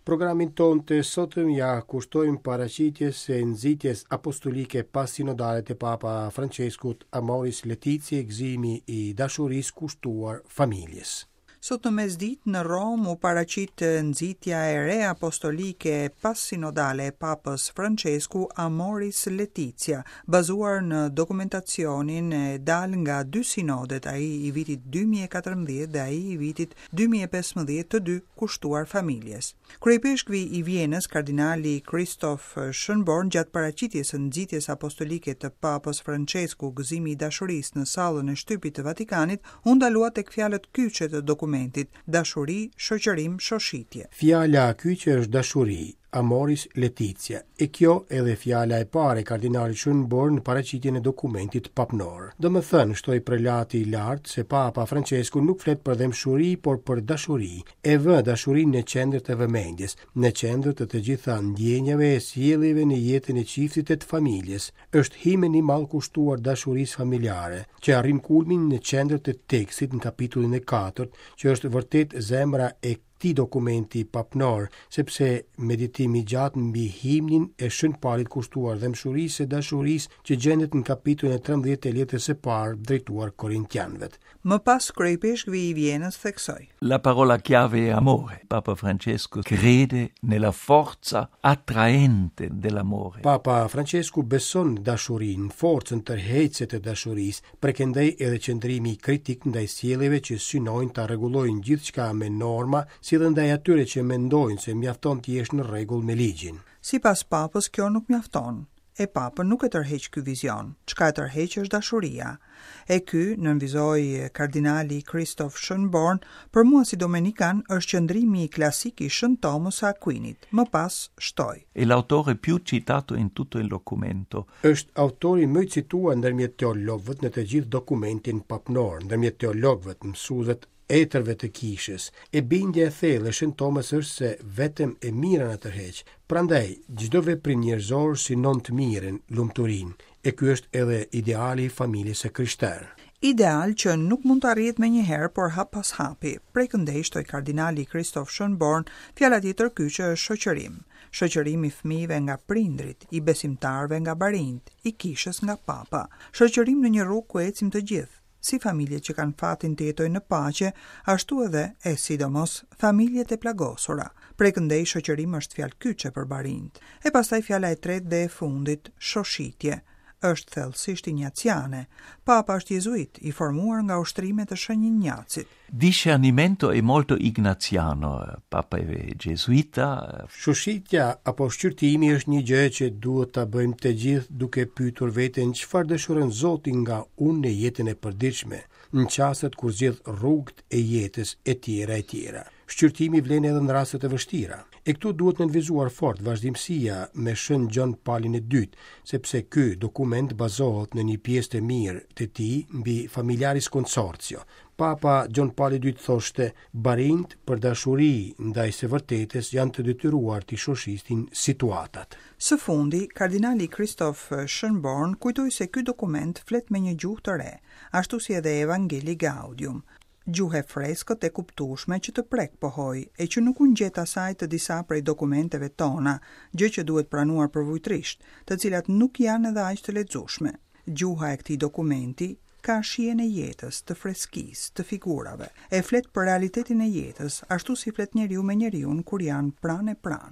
Programin tonë të sotëm ia kushtojmë paraqitjes së nxitjes apostolike passinodale të Papa Françeskut Amoris Laetitia, gëzimi i dashurisë kushtuar familjes. Sot në mesditë në Romë u paraqit nxitja e re apostolike passinodale e Papës Françesku Amoris Laetitia, bazuar në dokumentacionin e dalë nga dy sinodet, ai i vitit 2014 dhe ai i vitit 2015 të dy kushtuar familjes. Kryeipeshkvi i Vjenës, kardinali Christoph Schönborn gjatë paraqitjes së nxitjes apostolike të Papës Françesku Gëzimi i dashurisë në sallën e shtypit të Vatikanit, u ndalua tek fjalët kyçe të dokumentit, dashuri, shoqërim, shoshitje. Fjala kyçe është dashuri, Amoris Laetitia, e kjo edhe fjala e parë e kardinalit Schönborn në paraqitjen e dokumentit papnor. Domethënë, shtoi prelati i lartë, se Papa Françesku nuk flet për dhembshuri, por për dashuri, e vë dashurinë në qendër të vëmendjes, në qendër të të gjitha ndjenjave e sjelljeve në jetën e çiftit e të familjes. Është himn i madh kushtuar dashurisë familjare, që arrin kulmin në qendër të tekstit në kapitullin e katërt, që është vërtet zemra e këtij dokumenti papnor, sepse meditim i gjatë mbi himnin e Shën Palit kushtuar dhembshurisë e dashurisë që gjendet në kapitullin e 13 të letrës së parë drejtuar Korintianëve. Më pas kryeipeshkvi i Vjenës theksoi. La parola chiave è amore. Papa Francesco crede nella forza attraente dell'amore. Papa Francesku beson në dashurinë, forcën tërheqëse të dashurisë, prej këndej edhe qëndrimi kritik ndaj sjelljeve që synojnë ta rregullojnë gjithçka me norma, si dhe ndaj atyre që mendojnë se mjafton të jesh në rregull me ligjin. Sipas Papës kjo nuk mjafton. E Papën nuk e tërheq ky vizion. Çka e tërheq është dashuria. E ky, nënvizoi kardinali Christoph Schönborn, për mua si domenikan është qëndrimi klasik i Shën Tomës së Aquinit. Më pas shtoi. È l'autore più citato in tutto il documento. Është autori më i cituar ndërmjet teologëve në të gjithë dokumentin papnor, ndërmjet teologëve, mësuesve etërve të kishës. E bindja e thellë e Shën Tomës është se vetëm e mira na tërheq. Prandaj, çdo veprim njerëzor synon të mirën, lumturinë, e ky është edhe ideali i familjes së krishterë. Ideal që nuk mund të arrihet menjëherë, por hap pas hapi. Prej këndej shtoi kardinali Christoph Schönborn, fjala tjetër kyçe është shoqërim. Shoqërim i fëmijëve nga prindërit, i besimtarëve nga barinjtë, i kishës nga papa. Shoqërim në një rrugë ku ecim të gjithë, si familjet që kanë fatin të jetojnë në paqe, ashtu edhe, e sidomos, familjet e plagosura. Prej këndej shoqërim është fjalë kyçe për barinjtë. E pastaj fjala e tretë dhe e fundit, shoshitje. Është thellësisht injaciane. Papa është jezuit, i formuar nga ushtrimet e Shën Injacit. Discernimento è molto ignaziano, Papa è gesuita. Shoshitja apo shqyrtimi është një gjë që duhet ta bëjmë të gjithë duke pyetur veten çfarë dëshiron Zoti nga unë në jetën e përditshme, në çastet kur zgjedh rrugët e jetës e tjera e tjera. Shqyrtimi vlen edhe në raste të vështira. E këtu duhet nënvizuar fort vazhdimësia me Shën Gjon Palin e Dytë, sepse ky dokument bazohet në një pjesë të mirë të tij mbi Familiaris Consortio, Papa Gjon Pali i Dytë thoshte, Barinjtë për dashuri ndaj së vërtetës janë të detyruar t'i shoshitin situatat. Së fundi, kardinali Christoph Schönborn kujtoi se ky dokument flet me një gjuhë të re, ashtu si edhe Evangelii Gaudium. Gjuhë e freskët e kuptueshme që të prek, pohoi, e që nuk u ngjet asaj të disa prej dokumenteve tona, gjë që duhet pranuar përvujtërisht, të cilat nuk janë edhe aq të lexueshme. Gjuha e këtij dokumenti ka shijen e jetës, të freskisë, të figurave. E flet për realitetin e jetës, ashtu si flet njeriu me njeriun kur janë pranë e pranë.